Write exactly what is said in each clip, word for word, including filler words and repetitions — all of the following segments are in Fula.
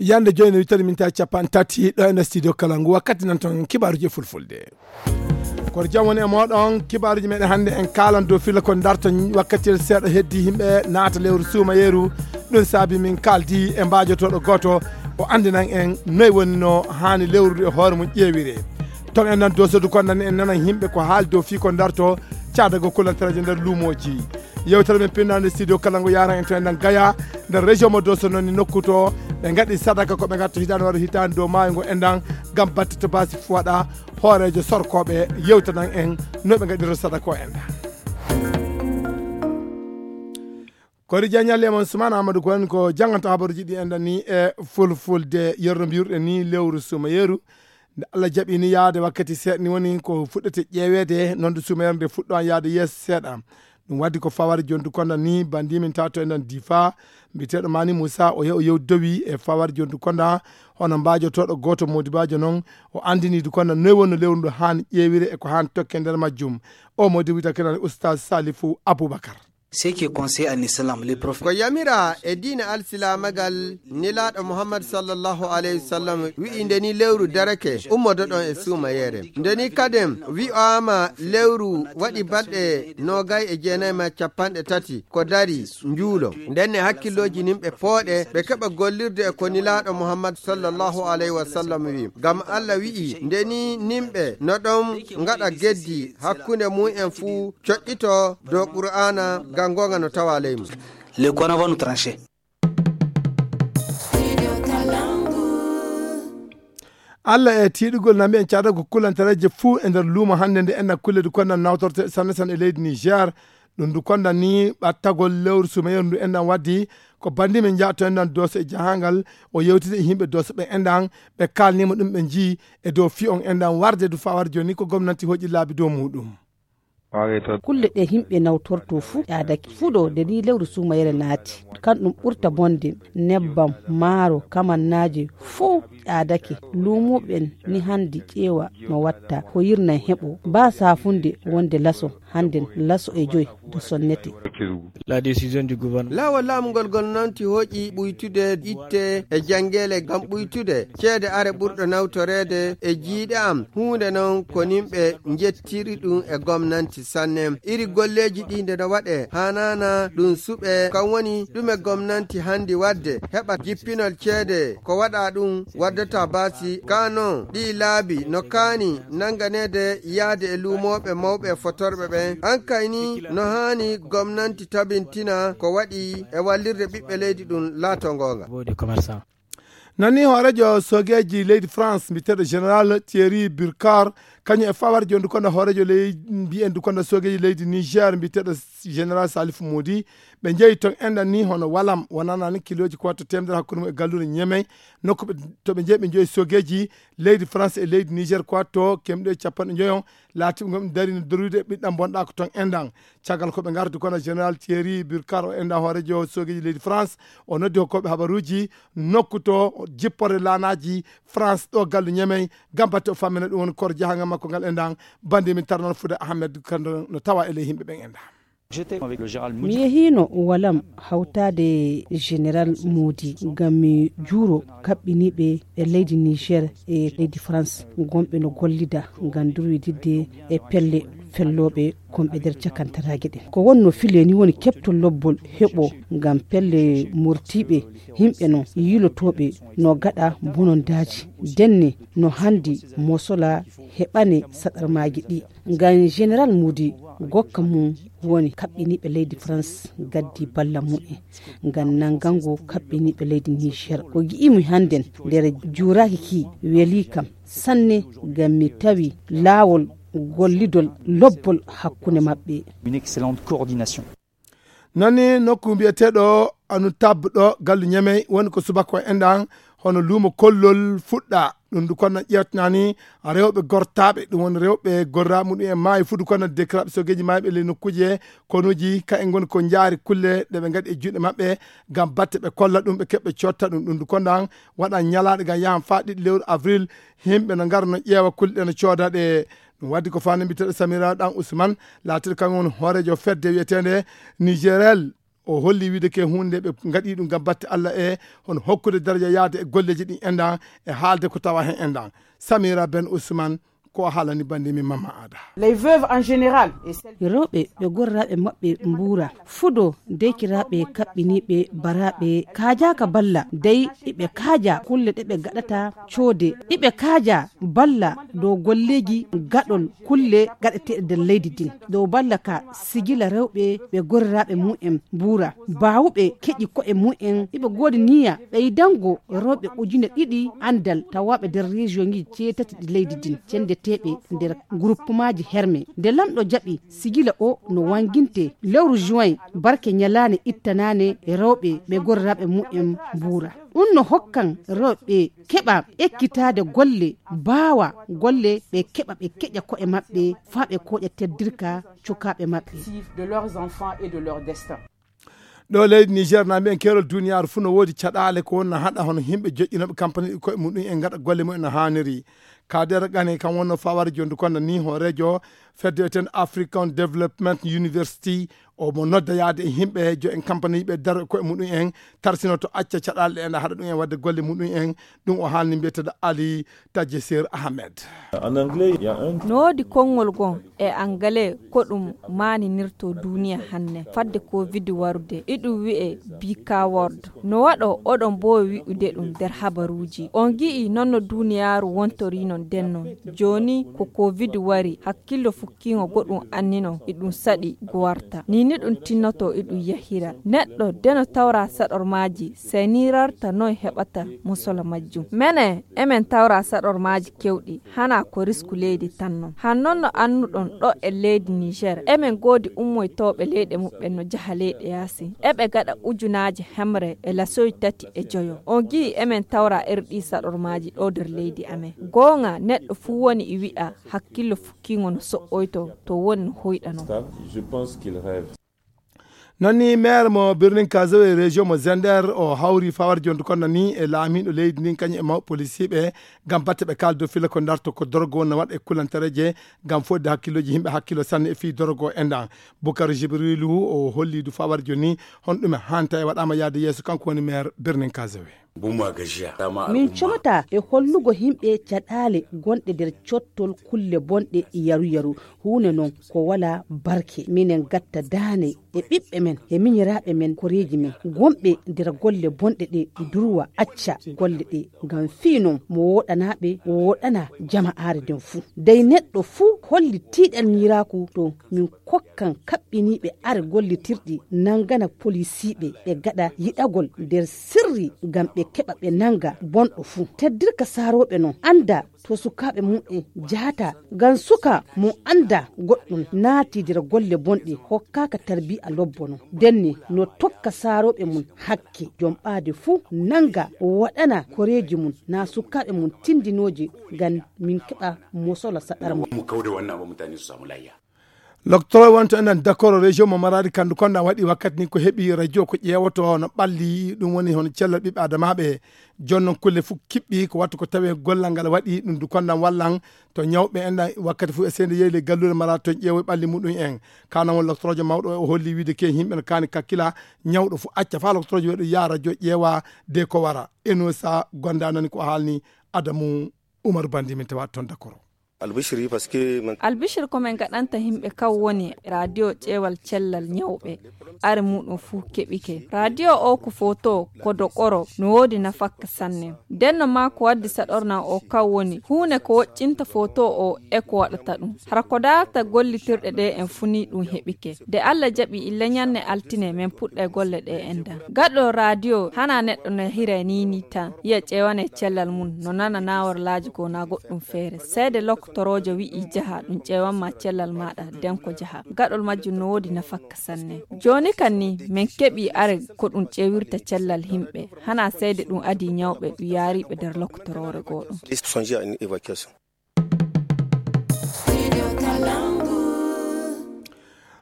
Yande jooni wittere min tawi capanɗe tati ɗo e nder studio kala ngu wakkati nan toon kibaaruji e fulfulde. Koto jam woni e mooɗon, kibaaruji meɗen hannde en kaalan dow filla ko darto wakkati seeɗa heddi yimɓe naata lewru suumayeeru. Ɗum saabi min kaaldi e mbaajotooɗo gooto o anndinan en noy woni no haani lewrude e hoore mum ƴeewire. Toon en nan dosodu kon nan en nanan yimɓe ko haali dow fii ko darto caadago kulantareeje nder luumooji. Yewtere men pinnaande studio kala ngo yaran en to en nan Gaya nder région mo Doso noon ni nokku to ɓe ngaɗi sadaka ko ɓe ngatto hitaande wara hitaande dow maayo ngo enɗan ngam batte to basi fuwaɗa hooreejo sorkooɓe yewtanan en no ɓe ngaɗiro sadaka o enɗan. Kori jañalle mon Sumana Amadou ko en ko janganta habaruji ɗi enɗan ni e fulfulde yerro mbiruɗe ni lewru sumayeru. Nde Allah jaɓi ni yaade wakkati seeɗa ni woni ko fuɗɗete ƴeeweede noon de sumayeru nde fuɗɗo an yaade yeeso seeɗa. Ɗum waddi ko fawari jondu konda ni bandi min tato enɗan difa mbiyeteeɗo mani Moussa o yew yew dowi e fawari jondu konda hono mbaajotooɗo gooto modibajo noon o andini du konda noy wonno lewru ndu haani ƴeewire e ko haani tokke nder majjum. O modi wita kenal Oustaz Salifou Aboubacar. Ce qui est conseillé en islam, les prophètes. Ko yamira e diine alsilaamagal, nelaaɗo Muhammad sallallahu alayhi wa sallam wi'i nde ni lewru darake, ummodoɗon e suumayeere. Nde ni kadin wi'aama lewru waɗi balɗe noogay e jeenay ma capanɗe tati ko dari njuulo. Nden ne hakkillooji nin ɓe pooɗe, ɓe keɓa gollirde e ko nelaaɗo Muhammad sallallahu alayhi wa sallam wi'i. Ngam Allah wi'i, nde ni nimɓe no ɗon ngaɗa geddi hakkunde mum en fuu coƴƴito dow Qur'aana ngam goonga no tawa ley mum. Le Coran va nous trancher. Allah e tiiɗugol nami en caada ko kulantareeje fuu e nder luumo hannde nde enna kulle du kondan nawtorte sanne sanne e leydi Niger. Ɗum du kondan ni ɓattagol lewru sumeyeru ndu enɗan waddi ko bandi men jaato enɗan doso e jahangal o yewtide e yimɓe doso ɓe enɗan ɓe kalnima ɗum ɓe jii e dow fi on enɗan warde du fawar joni ko gomnanti hoƴi laabi dow muɗum. Kulle ɗe yimɓe nawtorto fuu ƴaadake. Fuɗo nde ni lewru suumayere naati. Kan ɗum ɓurta bonde, nebbam, maaro, kamannaaje fuu ƴaadake. Luumuɓen ni handi ƴeewa no watta, ko yirnan heɓo. Ba saafunde wonde laso, handen laso e joy do sonnete. La décision du gouvernement. Laawol laamu ngol gol noon ti hoƴi ɓuytude itte e janngeele ngam ɓuytude ceede are ɓurɗo nawtoreede e jiiɗe am. Huunde noon ko nimɓe njettiri ɗum e gomnanti sanne. Iri golleeji ɗi nde no waɗe haanaana ɗum suɓe kam woni ɗume gomnanti handi waɗde heɓa jippinol ceede ko waɗa ɗum waddata baasi ka noon ɗi laabi no kaani nannganeede yahde e luumooɓe mawɓe e fotorɓe ɓen. An kay ni no haani gomnanti tabintina ko waɗi e wallirde ɓiɓɓe leydi ɗum laato ngoonga. Nani hooreejo soogeeji leydi France mbiyeteeɗo général Thierry Burkard kañum e fawar jondu konda hooreejo ley mbiyen du konda soogeeji leydi Niger mbiyeteeɗo général Salif Moudi. Ɓe njeyi toon enɗan ni hono walam wonanani kiloji ko watto temedere hakkunde mum e galluure Ñemey nokku ɓe to ɓe njeyi ɓe njoyi soogeeji leydi France e leydi Niger ko watto kemɗe capanɗe njoyon. Laatiɓe gom ɗum dari no dorude ɓiɗɗam bonɗa ko toon enɗan. Caggal ko ɓe ngardi kono général Thierry Burkard o enɗan hooreejo soogeeji leydi France o noddi hokkooɓe habaruuji nokku to jipporde laanaaji France ɗo gallu Ñemey ngam batte o fammina ɗum woni koor jahangal makko ngal enɗan. Bandi min tarnal fude Ahmed kando no tawa e ley yimɓe ɓen enɗan. Mi yehiino walam hawtaade e général Moodi ngam mi juuro kaɓɓiniiɓe e leydi Niger e leydi France gonɓe no gollida ngam durwididde e pelle fellooɓe konɓe nder cakantaraaji ɗen. Ko wonno filee ni woni keɓtol lobbol heɓo ngam pelle mortiiɓe yimɓe non yiilotooɓe no gaɗa bonondaaji denne no hanndi mosola heɓane saɗarmaaji ɗi. Ngam général Moodi gokka mum woni kaɓɓiniiɓe leydi France gaddi balla mumen ngam nanngango kaɓɓiniiɓe leydi Niger. Ko gi'imi hannden nder juuraaki ki welii kam sanne ngam mi tawi laawol gollidol lobbol hakkunde maɓɓe. Une excellente coordination. Nani nokku mbiyeteeɗo Anutab ɗo gallu Ñemey woni ko subaka o enɗan hono luumo kollol fuɗɗa. Ɗum du kono ƴeewtanani rewɓe gortaaɓe ɗum woni rewɓe gorra muɗum en maayi fudu kono dekiraɓe sogeeji maayɓe ley nokkuuje konuuji ka en ngoni ko njaari kulle ɗe ɓe ngaɗi e juuɗe maɓɓe ngam batte ɓe kolla ɗum ɓe keɓɓe cotta ɗum ɗum du kondan waɗa ñalaaɗe ngam yahan faa ɗiɗi lewru avril. Yimɓe no ngara no ƴeewa kulle ɗe no cooda ɗe. Ɗum waddi ko fani mbiteɗo Samira Ɗan Usman laatiɗo kam woni hooreejo fedde wiyeteende Nigerel. O holli wiide ke huunde ɓe ngaɗi ɗum ngam batte Allah e hono hokkude daraja yaade e golleeji ɗin enɗan e haalde ko tawa heen enɗan. Samira Ben Ousmane, ko haalani bannde min Mamma Aada. Les veuves en général et celles rewɓe ɓe gorraaɓe maɓɓe mbuura fudo deykiraaɓe kaɓɓiniiɓe baraaɓe kaajaaka balla dey iɓe kaaja kulle ɗe ɓe gaɗata coode iɓe kaaja balla dow golleeji gaɗol kulle gaɗeteeɗe nder leydi din dow balla ka sigila rewɓe ɓe gorraaɓe mumen mbuura baawuɓe keƴi ko'e mumen iɓe goodi niya ɓeydango rewɓe ujune ɗiɗi anndal tawaaɓe nder région ŋiji jeetati ɗi leydi din cenndeteeɓe nder groupemaaji herme nde lamɗo jaɓi sigila o no wannginte lewru juin barke ñalaande ittanaane rewɓe ɓe gorraaɓe mumen mbuura ɗum no hokkan rewɓe keɓa ekkitaade golle baawa golle ɓe keɓa ɓe keƴa ko'e maɓɓe faa ɓe kooƴa teddirka cukaaɓe maɓɓe. De leurs enfants et de leur destin. Ɗo leydi Niger na mbiyen keerol duniyaaru fuu no woodi caɗaale ko wonna haɗa hono yimɓe joƴƴinooɓe kampani ɗi koye muɗum en ngaɗa golle mumen no haaniri. Kader Gane kan wonno faware jondu konda ni hooreejo fedde eten African Development University omo nodda yaade e yimɓe jo en kampani ɓe daro koye muɗum en tarsinoto acca caɗaale ɗe enda haɗa ɗum en wadde golle muɗum en ɗum o haalni mbiyeteɗo Ali Tajesir Ahmed. En anglais, il y a un no woodi konngol gon e angalee ko ɗum maaninirto duuniya hanne fadde covid warude iɗum wi'e bika world no waɗo oɗon mboowi wi'ude ɗum nder habaruuji on gi'i non no duuniyaaru wontorii non den non jooni ko covid wari hakkillo fukkiingo goɗɗum anninon iɗum saɗi go warta ni ni ɗum tinnoto iɗum yahira neɗɗo de no tawra saɗormaaji sey ni rarta noy heɓata musola majjum mene emen tawra saɗormaaji kewɗi hana ko risku leydi tan non han non no annuɗon ɗo e leydi niger emen goodi ummoytooɓe leyɗe muɓɓen no jaha leyɗe yaasi eɓe gaɗa ujunaaji hemre e lasoy tati e joyo on gi'i emen tawra erɗi saɗormaaji ɗo nder leydi amen goonga neɗɗo fuu woni e wi'a hakkillo fukkiingo no so'oyto to woni no hoyɗano. Je pense qu'il rêve. Non ni maire mo birnin kazawe région mo zender o hawri fawar jondu kono ni e laamiɗo leydi ndin kañum e mawɓe policier ɓe ngam batte ɓe kaldo fila ko darto ko dorogo no waɗa e kulantareje ngam fodde hakkilloji yimɓe hakkillo sanne e fii dorogo e ndan. Bukar Jibrilu o holli du fawar joni hon ɗum e hanta e waɗama yaade yeeso kanko woni maire birnin kazawe. Min comata e hollugo yimɓe caɗaale gonɗe nder cottol kulle bonɗe yaru yaru huunde non ko wala barke minen gatta daane e ɓiɓɓe men e miñiraaɓe men koreeji men gonɓe nder golle bonɗe ɗe durwa acca golle ɗe ngam fii non mo woɗanaaɓe woɗana jama'aare nden fuu dey neɗɗo fuu holli tiiɗal ñiiraaku to min kokkan kaɓɓiniiɓe are gollitirɗi nangana polisiiɓe ɓe gaɗa yiɗagol nder sirri ngam ɓe keɓa ɓe nanga bonɗo fuu teddirka saarooɓe non annda to sukaaɓe mum en jahata ngam suka mo annda goɗɗum naati nder golle bonɗe hokkaaka tarbiya lobbo non denni no tokka saarooɓe mum hakke jom ɓaade fuu nanga waɗana koreeji mum na sukaaɓe mum tindinooji ngam min keɓa mosola saɗar mum. Loktoro wonto enen dakoro région mo maradi kandu konda waɗi wakkati ni ko heɓi radio ko ƴeewoto no ɓalli ɗum woni hono cellal ɓiɓɓe adamaɓe jonnon kulle fof kiɓɓi ko wattu ko tawi gollal ngal waɗi ɗum du kondan wallan to ñawɓe enɗan wakkati fof e seede yeyle galluure maradi to ƴeewo ɓalli muɗum en kana won loktorojo mawɗo o holli wiide ke yimɓe no kani kakkila ñawɗo fof acca fa loktorojo waɗi ya radio ƴeewa de ko wara enosa gondanani ko haalni adamu Umar Bandi min tawa toon dakoro. Albishiri parce que man albishir ko min gaɗanta yimɓe kan woni radio ƴeewal cellal ñawɓe are muɗum fuu keɓike radio o ko foto ko dokoro no woodi nafakka sanne denno ma ko waddi saɗorna o kan woni huune ko woƴƴinta foto o e ko waɗata ɗum hara ko darata gollitirɗe ɗe en funi ɗum heɓike de allah jaɓi illa ñanne altine min puɗɗa golle ɗe enɗan gaɗo radio hana neɗɗo no hira nini tan yiya ƴeewane cellal mum no nana naworlaaji goo na goɗɗum feere seede loktoroojo wi'i jaha ɗum ƴeewanma cellal maaɗa nden ko jaha gaɗol majjum no woodi nafakka sanne jooni kan ni min keɓi are ko ɗum ƴeewirta cellal yimɓe hana seede ɗum adii ñawɓe ɗum yaariiɓe nder loktoroore goo ɗum.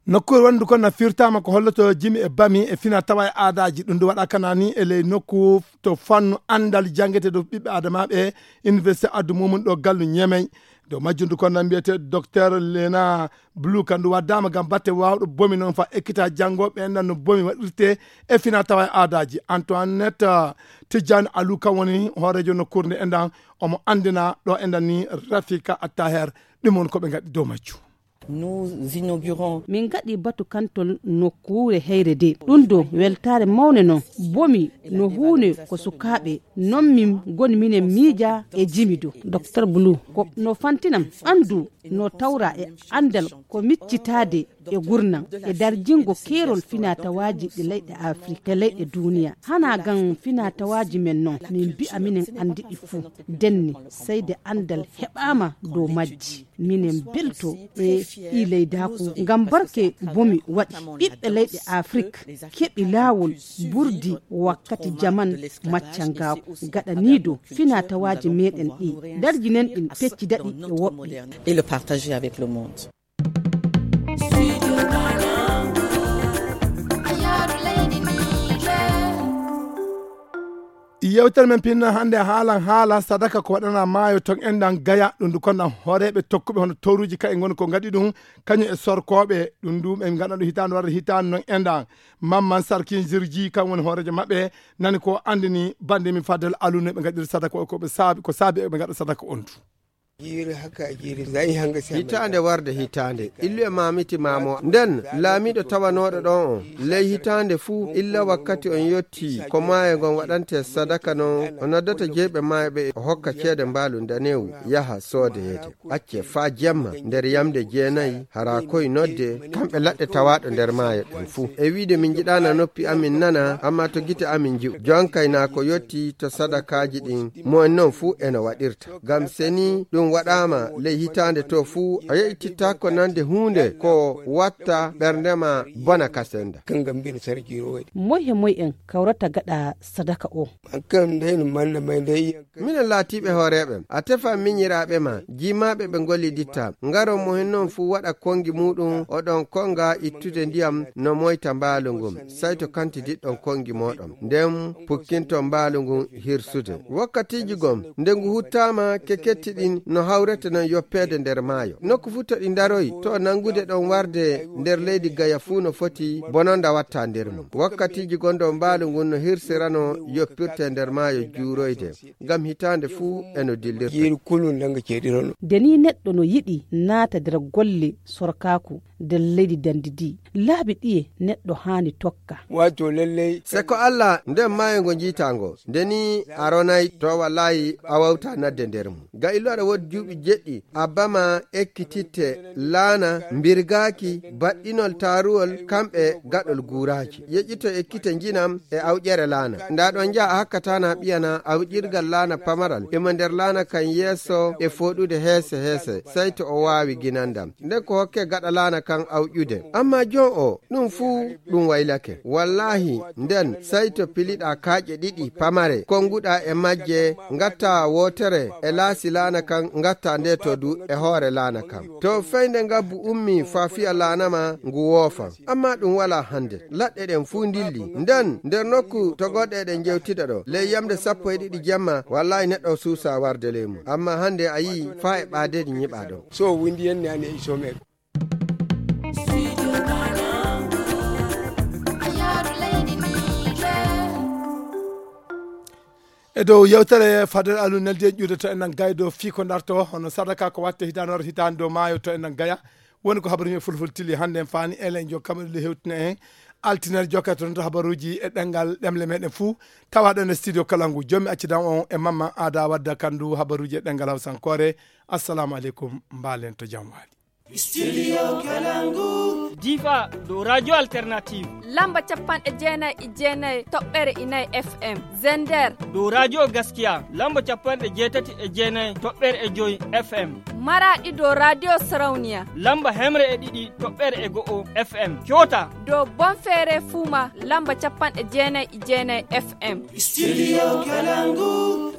Nokkuure wonndu kon na firtaama ko holloto jimi e bami e fina tawa e aadaaji. Ɗum ndu waɗa kanani e ley nokku to fannu anndal janngete dow ɓiɓɓe aadamaaɓe e université addu mumum ɗo gallu Ñemey. Dow majjundu kon na mbiyetee Docteur Lena Blue, kandu waddaama ngam batte waawɗo bomi noon fa ekkita janngooɓe en no bomi waɗirte e fina tawa e aadaaji. Antoinette, ah, Tijjani Alou kan woni hooreejo nokkuure nde enɗan, omo anndina ɗo enɗan ni Rafika Attaher. Ɗum woni ko ɓe ngaɗi dow majju. Nous inaugurons. Min ngaɗi batu kantol nokkuure heyre de. Ɗum do weltaare mawne non. Bomi no huune ko sukaaɓe. Non min ngoni minen miija e jimi do. Docteur Blue, ko no fantinam ɓandu no tawra e anndal ko miccitaade e gurnam e darjingo keerol finatawaaji ɗi leyɗe Afrik e leyɗe duniya. Hana ngam finatawaaji men non, min mbi'a minen anndi ɗi fuu. Denne, sey de anndal heɓaama dow majji. Minen belto e ɗi leydaaku ngam barke bomi waɗi. Ɓiɓɓe leyɗe Afrik keɓi laawol burdi wakkati jaman maccangaaku. Gaɗaniido finatawaaji meɗen ɗi, darjinen ɗin, peccida ɗi e woɓɓe. Et le partager avec le monde. Yewtere men pinna hannde haalan haala sadaka ko waɗana maayo ton enɗan Gaya. Ɗum ndu konɗan hooreeɓe tokkuɓe hono tooruuji ka'i ngoni ko ngaɗi ɗum, kañum e sorkooɓe. Ɗum ndu ɓe ngaɗa ɗum hitaande warde hitaande non enɗan. Mamman Sarkin Jirji kan woni hooreejo maɓɓe, nani ko anndini bannde min Fadel Alune ɓe ngaɗiri sadaka o, ko ɓe saabi, ko saabi ɓe ngaɗa sadaka on du. Jiiri haka jiiri, zai hanga sai. Hitaande warde hitaande, illu e maamiti maamo. Nden laamiiɗo tawanooɗo ɗon on, ley hitaande fuu, illa wakkati on yotti, ko maayo ngon waɗante sadaka non, o noddata jeyɓe maayo ɓe, o hokka ceede mbaalu ndanewu, yaha soodeyeede. Acce faa jemma, nder yamde jeenayi, hara koy nodde, kamɓe laɗɗe tawaaɗo nder maayo ɗen fuu. E wiide min njiɗaana noppi amin nana, amma to gite amin nji'u. Jonkay naa ko yotti to sadakaaji ɗin, mo en non fuu eno waɗirta. Ngam seni ɗum waɗaama ley hitaande to fuu, a yeƴtittaako nande huunde ko watta ɓernde ma bona ka senda. Kanga mbin sarki rowai. Moy he moy en kawrata gaɗa sadaka o? An kan ndey no manna may ndey. Minen laatiiɓe hooreeɓe, a tefan minyiraaɓe ma, jiimaaɓe ɓe ngolliditta. Ngaron mo hen non fuu waɗa konngi muuɗum, oɗon konnga ittude ndiyam no moyta mbaalu ngun. Sey to kantidiɗɗon konngi mooɗon. Nden pukkinton mbaalu ngun hirsude. Wakkatiiji gom, nde ngu huttaama, keketti ɗin no hawrete non yoppeede nder maayo. Nokku fuu to ɗi ndaroyi, to nanngude ɗon warde nder leydi Gaya fuu no foti bononda watta nder mum. Wakkatiiji gonɗo mbaalu ngun no hirsirano yoppirte nder maayo juuroyde, ngam hitaande fuu e no dillirta. Jiiri kulun nanga ceeɗirono. Nde ni neɗɗo no yiɗi naata nder golle sorkaaku nder leydi dandi ndi, laabi ɗiye neɗɗo haani tokka? Wato lallai. Se ko Allah nden maayo ngo njiitaango, nde ni a ronay to wallahi a wawta nadde nder mum. Ga illu aɗa woodi juuɓi jeɗɗi, abba ma ekkititte laana, mbirgaaki, baɗɗinol taaruwol, kamɓe gaɗol guuraaji. Yeƴƴito ekkite njinam e awƴere laana. Nda ɗon njaha a hakkatana ɓiyana awƴirgal laana pamaral. Emo nder laana kan yeeso e fooɗude heese heese, sey to o waawi ginandam. Nden ko hokke gaɗa laana kan awƴude. Amma jon o, ɗum fuu ɗum waylake. Wallahi, nden sey to piliɗa kaaƴe ɗiɗi pamare, konguɗa e majje, ngatta wootere e laasi laana kan, ngatta nde to du e hoore laana kan. To feyde ngabbu ummi faa fiya laana ma, ngu woofa. Amma ɗum walaa hande. Laɗɗe ɗen fuu ndilli. Nden, nder nokku to goɗɗe eɗen jewtida ɗo, ley yamde sappo e ɗiɗi jemma, wallahi neɗɗo suusa warde ley mum. Amma hande a yii faa e ɓaadeeji nyiɓaa ɗo. So windi yenne ane e somer. E dow yewtere Fadel Aliou neldi e ƴuude to enɗan gaydo fii ko ndarto, hono sadaka ko watte hitaande waro hitaande dow maayo to enɗan gaya. Woni ko habaruuji e fulfulde tili hannde en faani, elen jo kamɓe ɗiɗo hewtina en. Altine jokkata toon to habaruuji e ɗemngal ɗemle meɗen fuu. Tawa ɗon e studio Kalangu. Jommi accidan on e Mamman Aada Wadda Kandu habaruuji e ɗemngal Hawsankoore. Assalamu aleykum, mbaalen to jam waali. Studio Kalangu. Difa dow Radio Alternative. Lamba capanɗe jeenayi e jeenayi toɓɓere inayi F M. Zender. Dow Radio Gaskiya, lamba capanɗe jeetati e jeenayi toɓɓere e joy F M. Maraɗi dow Radio Sarauniya. Lamba hemre e ɗiɗi toɓɓere e go'o F M. Kyota. Dow Bonfere Fuma, lamba capanɗe jeenayi e jeenayi F M. Studio Kalangu.